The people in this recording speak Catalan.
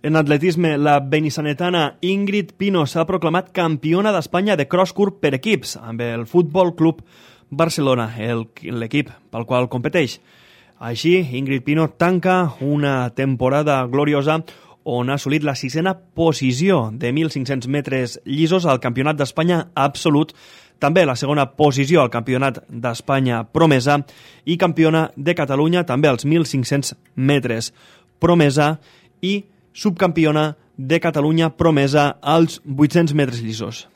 En atletisme, la benissanetana Ingrid Pino s'ha proclamat campiona d'Espanya de cross-court per equips amb el Futbol Club Barcelona, l'equip pel qual competeix. Així, Ingrid Pino tanca una temporada gloriosa on ha assolit la 6a posició de 1.500 metres llisos al Campionat d'Espanya absolut, també la 2a posició al Campionat d'Espanya promesa i campiona de Catalunya també als 1.500 metres promesa i subcampiona de Catalunya promesa als 800 metres llisos.